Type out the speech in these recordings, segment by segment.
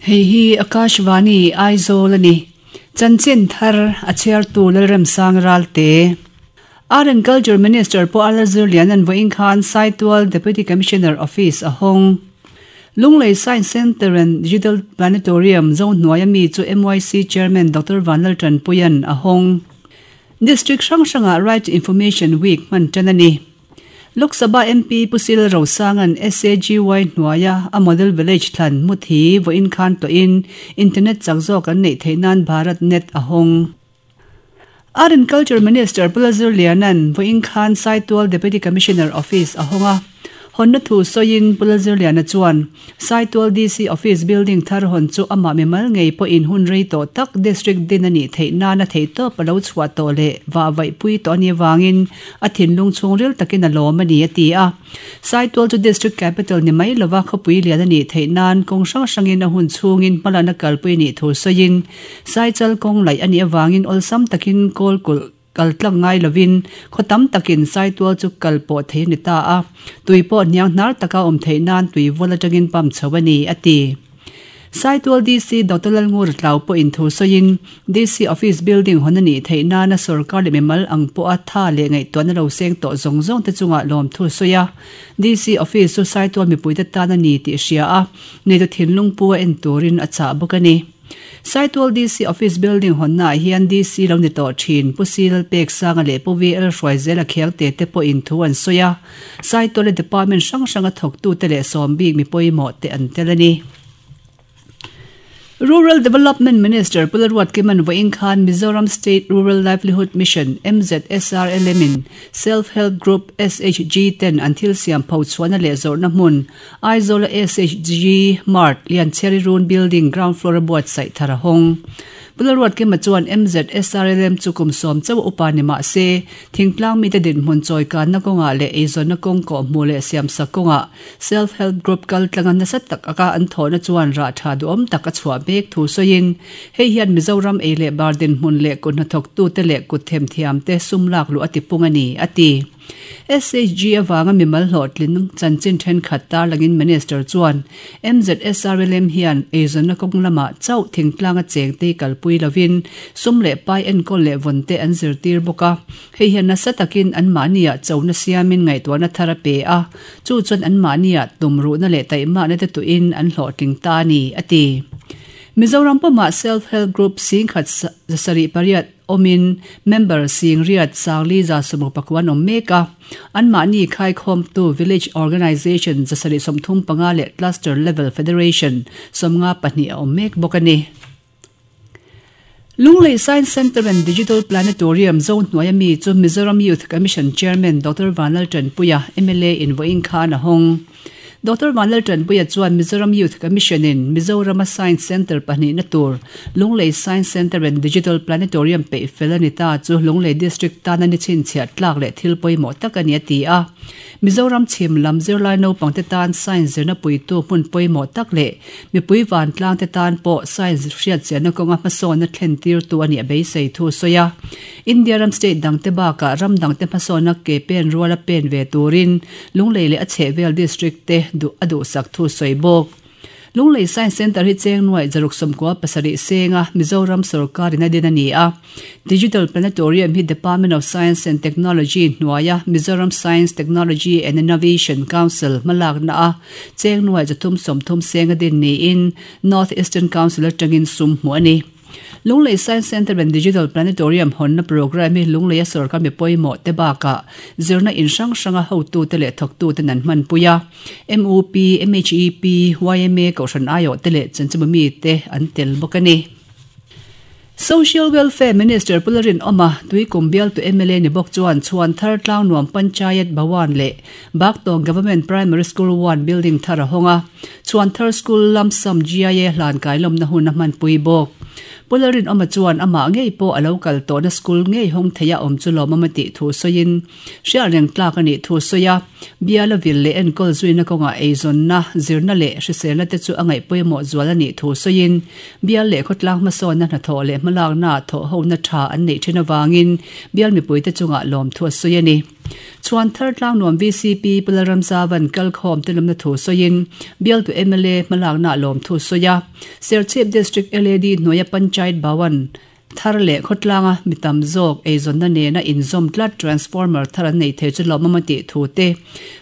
Hei hi Akashvani Aizawl a ni. Chanchin thar a chhiartu Lalremsang Ralte. Art and Culture Minister Pu Arla Zirliana'n vawiin khan Saitual Deputy Commissioner Office a hawng. Lunglei Science Centre and Digital Planetarium Zohnuaia mi chu MYC Chairman Doctor Vanlaltanpuia'n a hawng. District hrang hrangah Right to Information Week hman tan a ni. Lok Sabha MP Pu Sil Rosanga'n SAGY hnuaia a Model Village thlan Muthi vawiin khan tawhin Internet chak zawk an neih theih nan Bharat Net a hawng. Art and Culture Minister Pu Lalzirliana'n vawiin khan Saitual Deputy Commissioner Office a hawng a. Hawnna thu sawiin Pu Lalzirliana chuan, Saitual DC Office building thar hawn chu amah mimal ngei pawhin hun rei tawh tak District din a nih theih nana theihtawp a lo chhuah tawh leh vah vaihpui tawh a nih avangin a thinlung chhungril takin a lawm a ni a ti a. Saitual chu District Capital ni mai lova khawpui lian a nih theih nan kawng hrang hrangin a hun chhungin hmalakna kalpui a nih thu sawiin Saichal kawng laih a nih avangin awlsam takin kawl kulh kal tlang ngai lovin khaw tam takin Saitual chu kal pawh thei a ni ta a, tui pawh hniang hnar taka awm theih nan tui vual atangin pump chho a ni, a ti. Saitual DC Doctor Lalngur Tlau pawhin thu sawiin, DC Office building hawn a nih theih nana sorkar leh mimal ang pawha tha leh ngaihtuahna lo seng tawh zawng zawng te chungah lawmthu a sawi a. DC Office chu Saitual mipuite tan a ni tih hria a, neitu thinlung pu a en turin a chah bawk a ni. Saitual DC Office building hawnnaah hian DC lo ni tawh thin Pu C Lalpeksanga leh Pu VL Hruaizela Khiangte te pawhin thu an sawi a, Saituala department hrang hranga thawktute leh sawm bik mi pawimawh te an tel a ni. Rural Development Minister Pu Lalruatkima'n vawiin khan Mizoram State Rural Livelihood Mission, MZSRLM, in Self Help Group, SHG, ten an thil siam pho chhuahna leh zawrhna hmun Aizawla SHG Mart Lianchhiari Run Building ground floor a buatsaih thar a hawng. Pu Lalruatkima chuan MZSRLM chu kum sawm chauh a upa ni mah se, thingtlang mite dinhmun chawikanna kawngah leh eizawnna kawng kawhhmuh leh siamsak kawngah Self Help Group kal tlanga nasa tak aka an thawhna chuan rah tha duhawm tak a chhuah mek thu sawiin, hei hian Mizoram ei leh bar dinhmun leh kut hnathawktute leh kut themthiamte sum lak luh a tipung a ni, a ti. SHG avanga mimal hlawhtling chanchin thenkhat tarlangin Minister chuan MZSRLM hian eizawnna kawng lamah chauh thingtlanga chengte kalpui lovin sum leh pai enkawl leh vawnte an zirtir bawk a, hei hian nasa takin anmahniah chona siamin ngaihtuahna thar a pe a, chu chuan anmahniah tumruhna leh taihmakna te tuhin an hlawhtling ta a ni, a ti. Mizoram pumah Self Help Group singkhat 800 awmin member sing riat sangli 160 an awm mek a, anmahni khaikhawmtu Village Organisation 735 leh Cluster Level Federation 52 a awm mek bawk a ni. Lunglei Science Centre and Digital Planetarium zo hnuaia mi chu Mizoram Youth Commission Chairman Doctor Vanlaltanpuia, mla in vawiin khan a hawng. Doctor Vanlaltanpuia chuan Mizoram Youth Commission-in Mizorama Science Centre pahnihna tur Lunglei Science Centre and Digital Planetarium peih fel a ni ta chu Lunglei District tana ni chhinchhiah tlak leh thil pawimawh tak a ni a ti a. Mizoram chhim lam zirlai naupangte tan Science zirna puitu hmun pawimawh tak leh mipui vantlangte tan pawh Science hriatchiahna kawnga hmasawnna thlentirtu a nih a beisei thu a sawi a. India ram state dangte bakah ram dangte hmasawnna ke pen ruala pen ve turin Lunglei leh a chhehvel district te duh a duhsak thu sawi bawk. Lunglei Science Centre hi cheng nuaih zaruk sawmkua pasarih senga Mizoram sorkar in a din a ni a. Digital Planetarium hi Department of Science and Technology hnuaia Mizoram Science, Technology and Innovation Council hmalakna a cheng nuaih 330 senga din niin North Eastern Council atangin sum hmuh a ni. Lunglei Science Centre and Digital Planetarium hawnna programme hi Lungleia sorkar mi pawimawh te bakah zirna in hrang hranga hotute leh thawktuten an hmanpui a. MUP, MHEP, yma Kohhran aiawh te leh chanchinbu mite an tel bawk a ni. Social Welfare Minister Pu Lalrinawma, Tuikum bialtu mla ni bawk chuan Chhuanthar Tlangnuam Panchayat Bhawan leh Baktawng Government Primary School One building thar a hawng a. Chhuanthar School lam sam GIA hlan kailawmna hun a hmanpui bawk. Pu Lalrinawma chuan amah ngei pawh a lo kal tawhna school ngei hawng theia awm chu lawmawm a tih thu sawiin hriat reng tlak a nih thu sawi a. Biala vil leh enkawl zuina kawngah eizawnna, zirna leh hriselna te chu a ngaih pawimawh zual a nih thu sawiin bial leh khawtlang hmasawnna hnathawh leh hmalaknaah thawhhona tha an neih thin avangin bial mipuite chungah lawmthu a sawi a ni. Chhuanthar Tlangnuam VCP Pu Lalramzavan kalkhawm te lawmna thu sawiin bialtu mla hmalakna lawmthu sawi a. Serchhip District LAD hnuaia Panchayat Bhawan thar leh khawtlanga mi tam zawk eizawnna nena inzawm tlat transformer thar an nei thei chu lawmawm a tih thu te,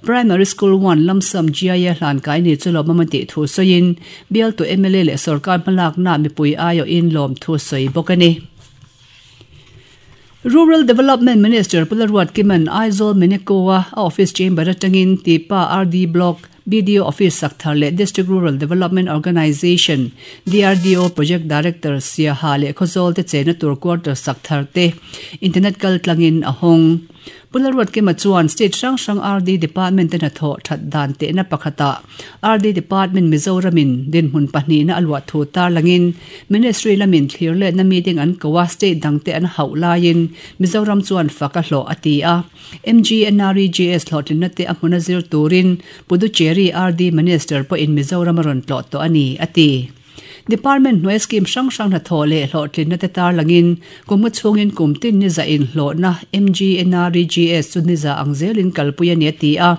Primary School One Lamsam GIA hlankai ni chu lawmawm a tih thu sawiin bialtu mla leh sorkar hmalakna mipui aiawhin lawmthu sawi bawk a ni. Rural Development Minister Pu Laruatkima'n Aizawl Meneko-a a office chamber atangin Tipa RD Block BDO Office sak thar leh District Rural Development Organisation, DRDO, Project Director Siaha leh Khawzawl te chenna tur quarter sak thar te internet kal tlangin a hawng. Pu Lalruatkima chuan state hrang hrang RD Department te hnathawh that dan tehna pakhatah RD Department Mizoramin dinhmun pahnihna a luah thu tarlangin Ministry lamin thlir letna meeting an ko a, state dangte an hauh laiin Mizoram chuan fak a hlawh a ti a. MGNREGS hlawhtlinna te a hmuna zir turin Puducherry RD Minister pawhin Mizoram a rawn tlawh tawh a ni, a ti. Department hnuai scheme hrang hrang hnathawh leh hlawhtlinna te tarlangin kum nga chhungin kum tin ni zah inhlawhna MGNREGS chu ni za ang zelin kalpui a ni a ti a.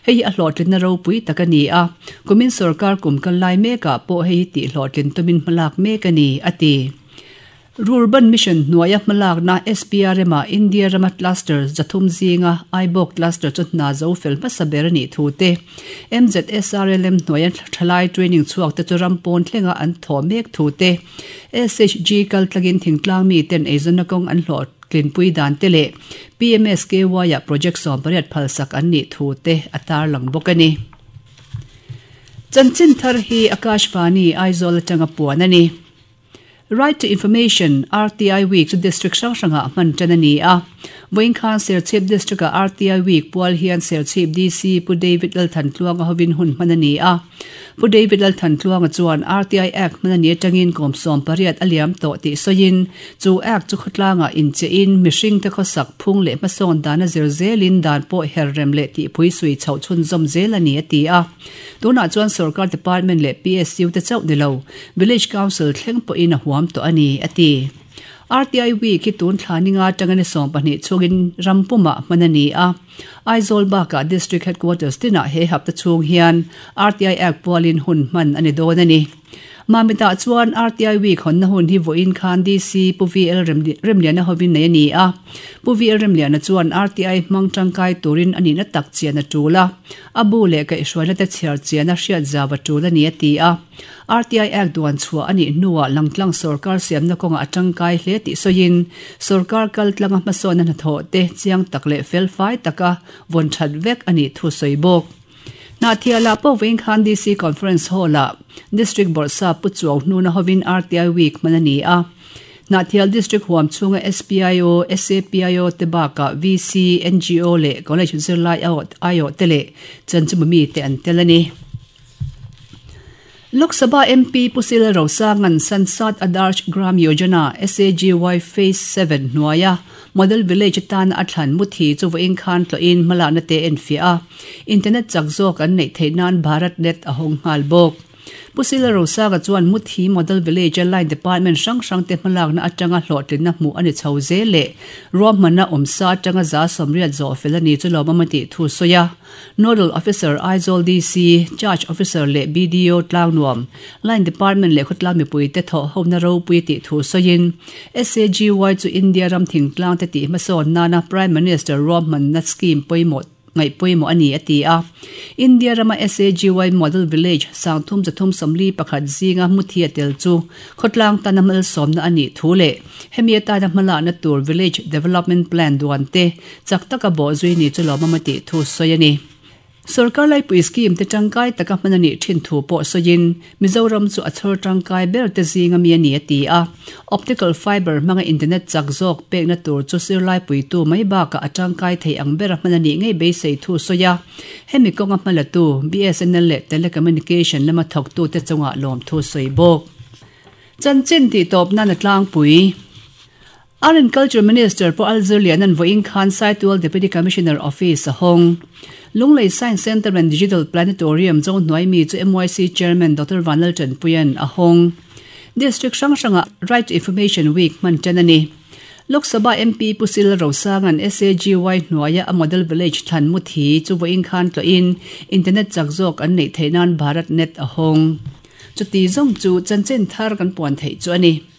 Hei hi a hlawhtlinna ropui tak a ni a, kumin sorkar kum kal lai mekah pawh hei hi tihhlawhtlin tumin hmalak mek a ni, a ti. Rurban Mission hnuaia hmalakna SPRM-ah India rama cluster 300 zinga Aibawk cluster chu hna zo fel hmasa ber a nih thu te, MZSRLM hnuaia thalai training chhuak te chu ram pawn thlenga an thawh mek thu te, SHG kaltlangin thingtlang miten eizawnna kawng an hlawhtlinpui dan te leh PMSKY-ah project 18 phalsak an nih thu te a tarlang bawk a ni. Chanchin thar hi Akashvani, Aizawl atanga puan a ni. Right to Information, RTI, Week chu District hrang hrangah hman tan a ni a. Vawiin khan Serchhip District-ah RTI Week pual hian Serchhip DC Pu David Lalthantluanga hovin hun hman a ni a. Pu David Lalthantluanga chuan RTI Act hman a ni atangin kum 18 a liam tawh tih sawiin chu Act chu khawtlangah inchehin mihringte khawsak phung leh hmasawn dan a zir zelin dan pawh herrem leh tihpui sui chhoh chhunzawm zel a ni a ti a. Tunah chuan sorkar department leh PSU te chauh ni lo, Village Council thleng pawhin a huam tawh a ni, a ti. RTI Week hi tun thla ninga atanga ni 12 chhungin ram pumah hman a ni a. Aizawl bakah District Headquarters tinah he hapta chhung hian RTI Act pualin hun hman a ni dawn a ni. Mamitah chuan RTI Week hawnna hun hi vawiin khan DC Pu VL Remliana hovin nei a ni a. Pu VL Remliana chuan RTI hmang tangkai turin a nihna tak chian a tul a, a bu leh kaihhruaina te chhiar chian a hriat zau a tul a ni a ti a. RTI Act duan chhuah a nih hnuah langtlang sorkar siamna kawngah a tangkai hle tih sawiin sorkar kaltlanga hmasawnna hnathawh te chiang tak leh felfai taka vawn that vek a nih thu sawi bawk. Hnahthialah pawh vawiin khan DC Conference Hall-ah District Bawrhsap Pu Chuau Hnuna hovin RTI Week hman a ni a. Hnahthial District huam chhunga SPIO, SAPIO te bakah VC, NGO leh College zirlai aiawh te leh chanchimawmi mite an tel a ni. Lok Sabha MP Pu Sila Rosanga'n Sansad Adarsh Gram Yojana, SAGY, Phase 7 hnuaia Model Village atana a thlan muthi chu vawiin khan tlawhin hmalakna te enfiah a, internet chak zawk an neih theih nan Bharat Net a hawng nghal bawk. Pu Sila Rosaga chuan Muthi Model Village-a Line Department hrang hrangte hmalakna atanga hlawhtlinna hmuh a ni chho zel leh ruahmanna awmsa atanga 180 zawh fel a ni chu lawmawm a tih thu sawi a. Nodal Officer Aizawl DC, Charge Officer leh BDO Tlangnuam, Line Department leh khawtlang mipuite thawh hona ropui tih thu sawiin SAGY chu India ram thingtlangte tih hmasawn nana Prime Minister ruahmanna scheme pawimawh ngaih pawimawh a ni a ti a. India rama SAGY Model Village 3341 zinga hmuthi a tel chu khawtlang tana malsawmna a nih thu leh hemi atana hmalakna tur Village Development Plan duan te chak taka bawhzui ni chu lawmawm a tih thu sawi a ni. Sorkar laipui scheme te tangkai taka hman a nih thin thu pawh sawiin Mizoram chu a chhawr tangkai ber te zinga mi a ni a ti a. Optical fiber hmanga internet chak zawk pekna tur chu zirlai puitu mai bakah a tangkai thei ang bera hman a nih ngei beisei thu sawi a. Hemi kawnga hmalatu BSNL leh Telecommunication lama thawktute chungah lawmthu sawi bawk. Chanchin tihtawp nan a tlangpui. Art and Culture Minister Pu Alzir Lianan vawiin khan Saitual Deputy Commissioner Office a hawng. Lunglei Science Centre and Digital Planetarium Zohnuai mi chu MYC Chairman Doctor Vanlal Tanpuia'n a hawng. District hrang hrangah Right to Information Week hman tan a ni. Lok Sabha MP Pu C Lalrosanga'n SAGY hnuaia a Model Village thlan muthi chu vawiin khan tlawhin internet chak zawk an neih theih nan Bharat Net a hawng. Chuti zawng chu chanchin thar kan puan theih chu a ni.